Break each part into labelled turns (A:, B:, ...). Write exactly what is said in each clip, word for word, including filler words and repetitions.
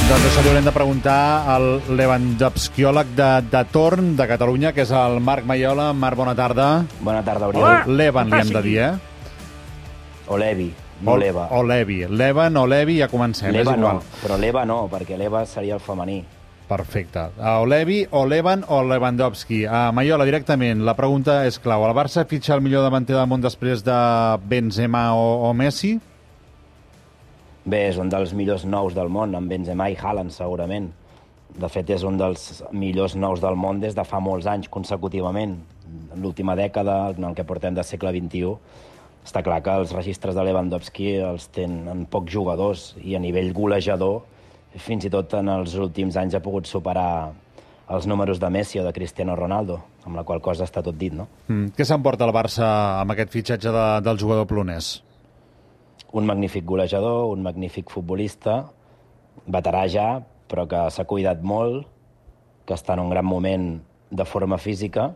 A: Doncs això li haurem de preguntar al lewandowskiòleg de, de torn de Catalunya, que és el Marc Maiola. Marc, bona tarda.
B: Bona tarda, Oriol.
A: Levan li hem de dir, eh?
B: O Levi, no
A: o,
B: Leva.
A: O Levi. Levan o Levi, ja comencem.
B: Leva
A: és igual.
B: no, però Leva no, perquè Leva seria el femení.
A: Perfecte. O Levi, o Levan, o Lewandowski. Uh, Maiola, directament, la pregunta és clau. El Barça fitxa el millor davanter del món després de Benzema o, o Messi?
B: Bé, és un dels millors nous del món, amb Benzema i Haaland, segurament. De fet, és un dels millors nous del món des de fa molts anys, consecutivament. En l'última dècada, en el que portem de segle vint-i-u, està clar que els registres de Lewandowski els tenen pocs jugadors i a nivell golejador, fins i tot en els últims anys ha pogut superar els números de Messi o de Cristiano Ronaldo, amb la qual cosa està tot dit, no?
A: Mm. Què s'emporta el Barça amb aquest fitxatge de, del jugador polonès?
B: Un magnífic golejador, un magnífic futbolista, veterà ja, però que s'ha cuidat molt, que està en un gran moment de forma física,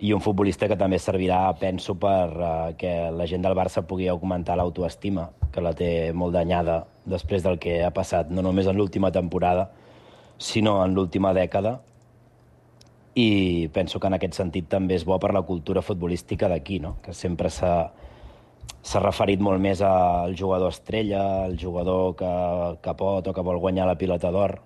B: i un futbolista que també servirà, penso, per uh, que la gent del Barça pugui augmentar l'autoestima, que la té molt danyada després del que ha passat, no només en l'última temporada, sinó en l'última dècada. I penso que en aquest sentit també és bo per la cultura futbolística d'aquí, no? Que sempre s'ha s'ha referit molt més al jugador estrella, al jugador que, que pot o que vol guanyar la pilota d'or.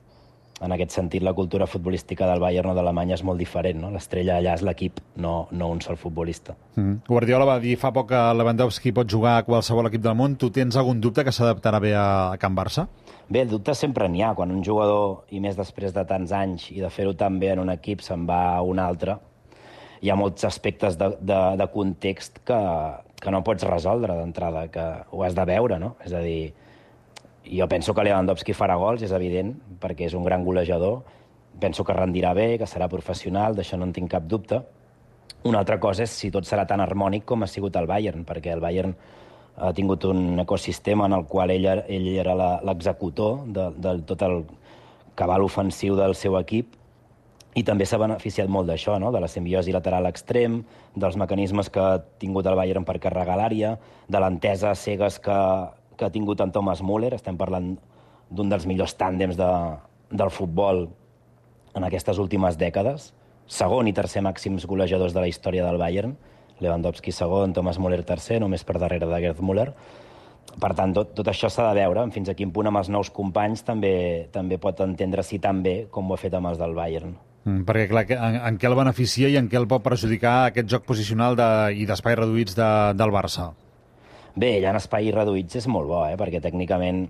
B: En aquest sentit, la cultura futbolística del Bayern o d'Alemanya és molt diferent, no? L'estrella allà és l'equip, no, no un sol futbolista.
A: Mm. Guardiola va dir fa poc que Lewandowski pot jugar a qualsevol equip del món. Tu tens algun dubte que s'adaptarà bé a, a Can Barça?
B: Bé, el dubte sempre n'hi ha. Quan un jugador, i més després de tants anys, i de fer-ho tan bé en un equip, se'n va a un altre, hi ha molts aspectes de, de, de context que, que no pots resoldre d'entrada, que ho has de veure, no? És a dir, jo penso que Lewandowski farà gols, és evident, perquè és un gran golejador. Penso que rendirà bé, que serà professional, d'això no en tinc cap dubte. Una altra cosa és si tot serà tan harmònic com ha sigut el Bayern, perquè el Bayern ha tingut un ecosistema en el qual ell, ell era l'executor de, de tot el cabal ofensiu del seu equip, i també s'ha beneficiat molt d'això, no? De la simbiosi lateral extrem, dels mecanismes que ha tingut el Bayern per carregar l'àrea, de l'entesa a cegues que, que ha tingut en Thomas Müller. Estem parlant d'un dels millors tàndems de, del futbol en aquestes últimes dècades. Segon i tercer màxims golejadors de la història del Bayern. Lewandowski segon, Thomas Müller tercer, només per darrere de Gerd Müller. Per tant, tot, tot això s'ha de veure. Fins a quin punt amb els nous companys també, també pot entendre-s'hi tan bé com ho ha fet amb els del Bayern.
A: Mm, perquè, clar, en, en què el beneficia i en què el pot perjudicar aquest joc posicional de, i d'espais reduïts de, del Barça?
B: Bé, ell en espais reduïts és molt bo, eh? Perquè tècnicament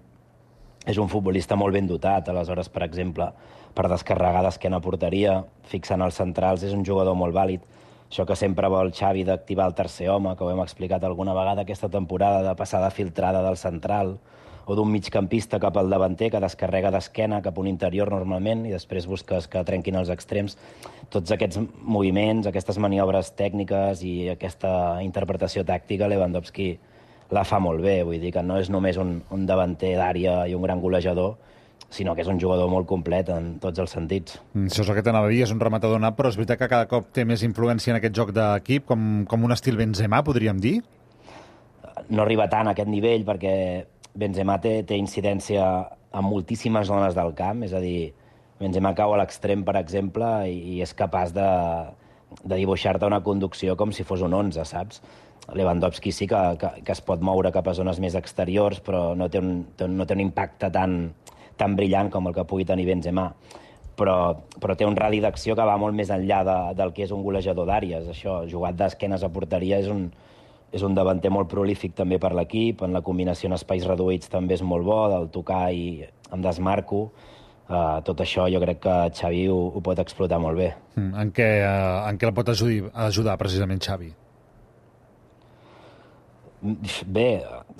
B: és un futbolista molt ben dotat. Aleshores, per exemple, per descarregar d'esquena a porteria, fixant els centrals, és un jugador molt vàlid. Això que sempre vol Xavi d'activar el tercer home, que ho hem explicat alguna vegada aquesta temporada, de passada filtrada del central, o d'un migcampista cap al davanter que descarrega d'esquena cap a un interior normalment i després busques que trenquin els extrems. Tots aquests moviments, aquestes maniobres tècniques i aquesta interpretació tàctica, Lewandowski la fa molt bé. Vull dir que no és només un, un davanter d'àrea i un gran golejador, sinó que és un jugador molt complet en tots els sentits.
A: Mm, això és el que t'anava a dir, és un rematador nat, però és veritat que cada cop té més influència en aquest joc d'equip, com, com un estil Benzema, podríem dir?
B: No arriba tant a aquest nivell perquè Benzema té, té incidència en moltíssimes zones del camp, és a dir, Benzema cau a l'extrem, per exemple, i, i és capaç de, de dibuixar-te una conducció com si fos un onze, saps? Lewandowski sí que, que, que es pot moure cap a zones més exteriors, però no té un, no té un impacte tan, tan brillant com el que pugui tenir Benzema. Però, però té un radi d'acció que va molt més enllà de, del que és un golejador d'àrees. Això, jugat d'esquenes a porteria, és un, és un davanter molt prolífic també per l'equip. En la combinació en espais reduïts també és molt bo, del tocar i em desmarco. Uh, tot això jo crec que Xavi ho, ho pot explotar molt bé.
A: Mm, en, què, uh, en què el pot ajudar, ajudar precisament Xavi?
B: Bé,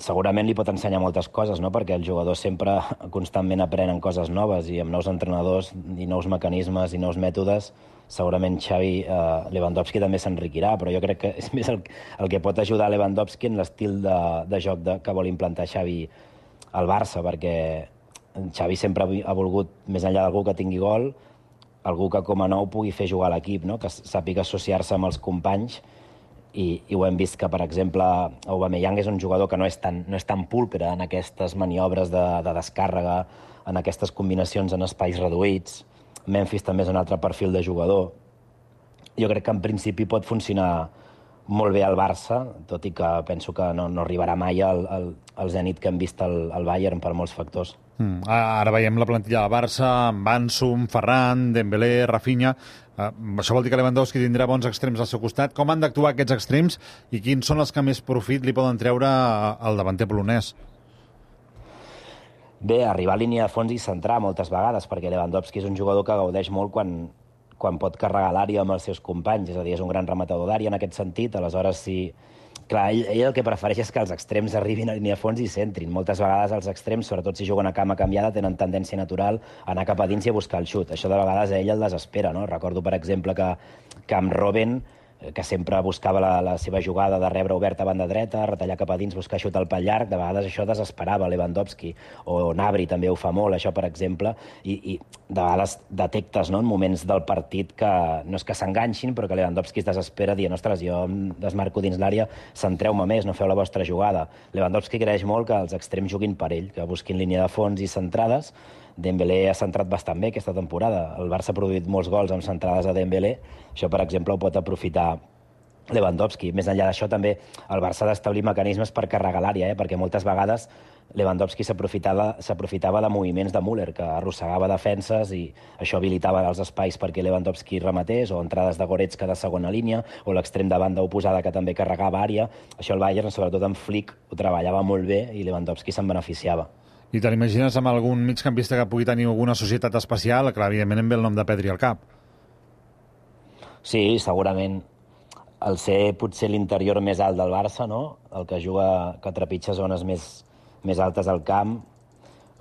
B: segurament li pot ensenyar moltes coses, no? Perquè el jugador sempre constantment aprenen coses noves i amb nous entrenadors i nous mecanismes i nous mètodes segurament Xavi, eh, Lewandowski també s'enriquirà, però jo crec que és més el, el que pot ajudar Lewandowski en l'estil de, de joc de, que vol implantar Xavi al Barça, perquè Xavi sempre ha volgut, més enllà d'algú que tingui gol, algú que com a nou pugui fer jugar l'equip, no? Que sàpiga associar-se amb els companys, i, i ho hem vist que, per exemple, Aubameyang és un jugador que no és tan, no és tan pulcre en aquestes maniobres de, de descàrrega, en aquestes combinacions en espais reduïts. Memphis també és un altre perfil de jugador. Jo crec que en principi pot funcionar molt bé al Barça, tot i que penso que no, no arribarà mai al, al, al zènit que hem vist al, al Bayern per molts factors.
A: Mm. Ara veiem la plantilla del Barça amb Ansum, Ferran, Dembélé, Rafinha. Uh, això vol dir que Lewandowski tindrà bons extrems al seu costat. Com han d'actuar aquests extrems i quins són els que més profit li poden treure al davanter polonès?
B: Bé, arribar a línia de fons i centrar moltes vegades, perquè Lewandowski és un jugador que gaudeix molt quan, quan pot carregar l'àrea amb els seus companys, és a dir, és un gran rematador d'àrea en aquest sentit. Aleshores, si... Clar, ell, ell el que prefereix és que els extrems arribin a línia de fons i centrin. Moltes vegades els extrems, sobretot si juguen a cama canviada, tenen tendència natural a anar cap a dins i a buscar el xut. Això de vegades a ell el desespera, no? Recordo, per exemple, que, que amb Robben, que sempre buscava la, la seva jugada de rebre oberta a banda dreta, retallar cap a dins, buscar xut al pal llarg, de vegades això desesperava Lewandowski, o Gnabry també ho fa molt, això, per exemple, i, i de vegades detectes, no?, en moments del partit que no és que s'enganxin, però que Lewandowski es desespera dient, ostres, jo em desmarco dins l'àrea, centreu-me més, no feu la vostra jugada. Lewandowski creix molt que els extrems juguin per ell, que busquin línia de fons i centrades. Dembélé ha centrat bastant bé aquesta temporada. El Barça ha produït molts gols amb centrades a Dembélé. Això, per exemple, ho pot aprofitar Lewandowski. Més enllà d'això, també el Barça ha d'establir mecanismes per carregar l'àrea, eh? Perquè moltes vegades Lewandowski s'aprofitava s'aprofitava de moviments de Müller, que arrossegava defenses i això habilitava els espais perquè Lewandowski rematés, o entrades de Goretzka de segona línia, o l'extrem de banda oposada que també carregava àrea. Això el Bayern, sobretot amb Flick, ho treballava molt bé i Lewandowski se'n beneficiava.
A: I te l'imagines amb algun migcampista que pugui tenir alguna societat especial? Clar, evidentment em ve el nom de Pedri al cap.
B: Sí, segurament. El ser potser l'interior més alt del Barça, no? El que juga, que trepitja zones més, més altes al camp,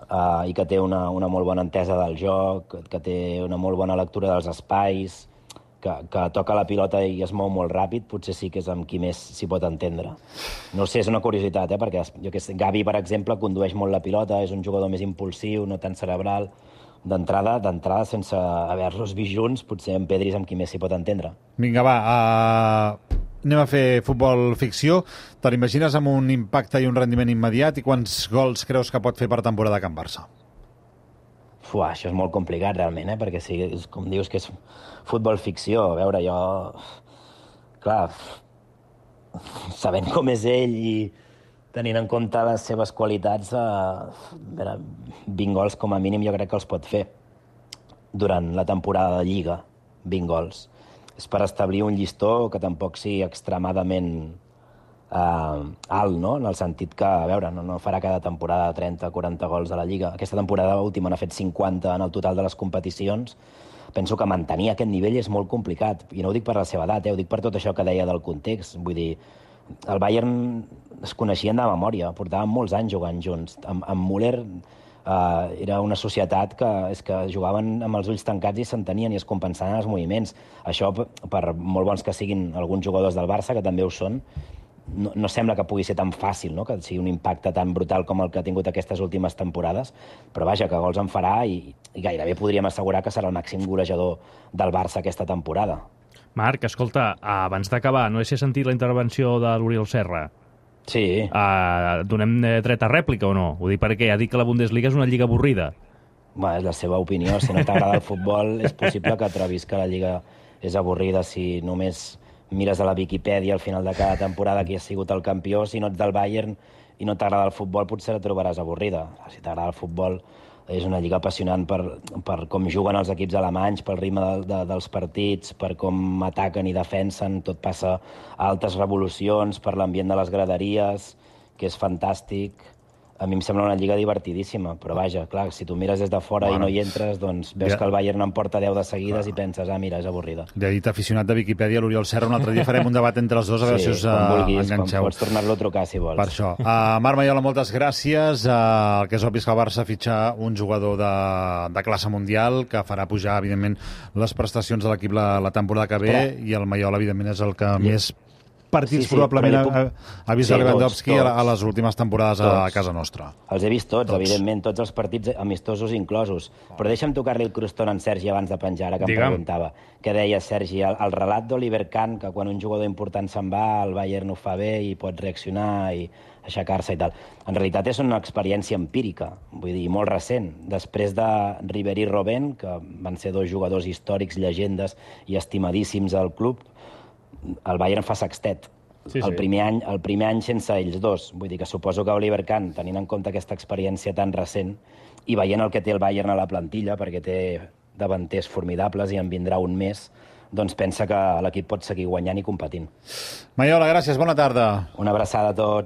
B: eh, i que té una, una molt bona entesa del joc, que té una molt bona lectura dels espais, que, que toca la pilota i es mou molt ràpid, potser sí que és amb qui més s'hi pot entendre. No sé, és una curiositat, eh? Perquè jo que sé, Gavi, per exemple, condueix molt la pilota, és un jugador més impulsiu, no tan cerebral. D'entrada, d'entrada, sense haver-los vist junts, potser en Pedri és amb qui més s'hi pot entendre.
A: Vinga, va, uh, anem a fer futbol ficció. Te l'imagines amb un impacte i un rendiment immediat i quants gols creus que pot fer per temporada a Can Barça?
B: Fuà, això és molt complicat, realment, eh? Perquè si, com dius que és futbol ficció, a veure, jo... Clar, sabent com és ell i tenint en compte les seves qualitats, eh, veure, vint gols com a mínim jo crec que els pot fer durant la temporada de Lliga, vint gols. És per establir un llistó que tampoc sigui extremadament eh, alt, no? En el sentit que, a veure, no, no farà cada temporada trenta o quaranta gols a la Lliga. Aquesta temporada última n'ha fet cinquanta en el total de les competicions. Penso que mantenir aquest nivell és molt complicat. I no ho dic per la seva edat, eh? Ho dic per tot això que deia del context. Vull dir, el Bayern es coneixien de memòria, portaven molts anys jugant junts. Amb, amb Müller eh, era una societat que, és que jugaven amb els ulls tancats i s'entenien i es compensaven els moviments. Això, per molt bons que siguin alguns jugadors del Barça, que també ho són, no, no sembla que pugui ser tan fàcil, no? Que sigui un impacte tan brutal com el que ha tingut aquestes últimes temporades, però vaja, que gols en farà i, i gairebé podríem assegurar que serà el màxim golejador del Barça aquesta temporada.
C: Marc, escolta, abans d'acabar, no sé si has sentit la intervenció de l'Oriol Serra.
B: Sí.
C: Uh, donem dret a rèplica o no? Ho dic perquè ha dit que la Bundesliga és una lliga avorrida.
B: Bé, és la seva opinió. Si no t'agrada el futbol, és possible que trobis que la lliga és avorrida si només mires a la Viquipèdia al final de cada temporada qui ha sigut el campió. Si no ets del Bayern i no t'agrada el futbol, potser la trobaràs avorrida. Si t'agrada el futbol, és una lliga apassionant per, per com juguen els equips alemanys, pel ritme de, de, dels partits, per com ataquen i defensen, tot passa a altes revolucions, per l'ambient de les graderies, que és fantàstic. A mi em sembla una lliga divertidíssima, però vaja, clar, si tu mires des de fora bueno, i no hi entres, doncs veus ja. que el Bayern en porta deu de seguides clar. I penses, ah, mira, és avorrida.
A: Ja he dit aficionat de Viquipèdia, l'Oriol Serra, un altre dia farem un debat entre els dos, a veure
B: sí,
A: si us uh,
B: vulguis,
A: enganxeu.
B: Pots tornar-lo a trucar, si vols.
A: Per això. Uh, Marc Maiola, moltes gràcies. Uh, el que és obvi és que el Barça fitxa un jugador de, de classe mundial que farà pujar, evidentment, les prestacions de l'equip la, la temporada que ve, Espera. I el Maiola, evidentment, és el que I... més partits
B: Sí, sí,
A: probablement
B: però li
A: ha,
B: puc-
A: ha vist
B: Sí,
A: a Lewandowski
B: tots,
A: a, a
B: tots.
A: les últimes temporades a, a
B: Tots.
A: casa nostra.
B: Els he vist tots,
A: Tots.
B: evidentment, tots els partits amistosos inclosos. Però deixa'm tocar-li el crostón en Sergi abans de penjar, ara que em
C: Digue'm.
B: preguntava. Què deia, Sergi? El, el relat d'Oliver Kahn, que quan un jugador important se'n va, el Bayern ho fa bé i pot reaccionar i aixecar-se i tal. En realitat és una experiència empírica, vull dir, molt recent. Després de Ribéry i Robben, que van ser dos jugadors històrics, llegendes i estimadíssims al club, el Bayern fa sextet.
C: Sí, sí.
B: El primer any, el primer any sense ells dos. Vull dir que suposo que Oliver Kahn, tenint en compte aquesta experiència tan recent i veient el que té el Bayern a la plantilla, perquè té davanters formidables i en vindrà un més, doncs pensa que l'equip pot seguir guanyant i competint.
A: Maiola, gràcies, bona tarda.
B: Una abraçada a tots.